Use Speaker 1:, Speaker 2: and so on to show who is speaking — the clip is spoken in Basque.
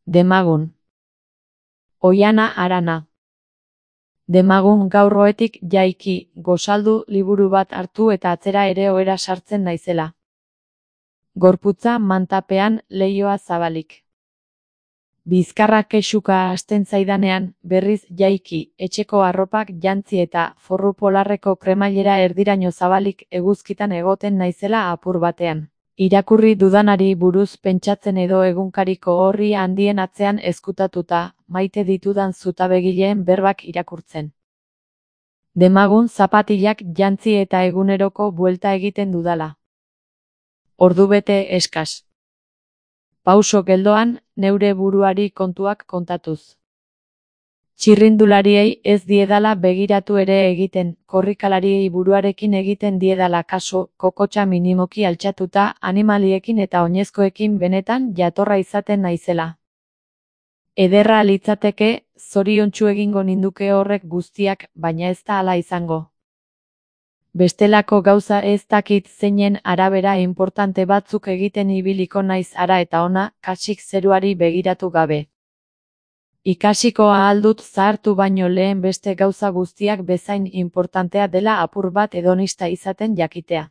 Speaker 1: Demagun. Oihana Arana. Demagun gaur goetik jaiki, gozaldu liburu bat hartu eta atzera ere ohera sartzen naizela. Gorputza mantapean, leihoa zabalik. Bizkarra kexuka hasten zaidanean, berriz jaiki, etxeko arropak jantzi eta forru polarreko kremailera erdiraino zabalik eguzkitan egoten naizela apur batean. Irakurri dudanari buruz pentsatzen edo egunkariko orri handien atzean ezkutatuta, maite ditudan zutabegileen berbak irakurtzen. Demagun zapatilak jantzi eta eguneroko buelta egiten dudala. Ordubete eskas. Pauso geldoan, neure buruari kontuak kontatuz. Txirrindulariei ez diedala begiratu ere egiten, korrikalariei buruarekin egiten diedala kaso, kokotxa minimoki altxatuta, animaliekin eta oinezkoekin benetan jatorra izaten naizela. Ederra litzateke, zoriontsu egingo ninduke horrek guztiak, baina ez da hala izango. Bestelako gauza ez dakit zeinen arabera inportante batzuk egiten ibiliko naiz ara eta ona, kasik zeruari begiratu gabe. Ikasiko ahal dut zahartu baino lehen beste gauza guztiak bezain inportantea dela apur bat hedonista izaten jakitea.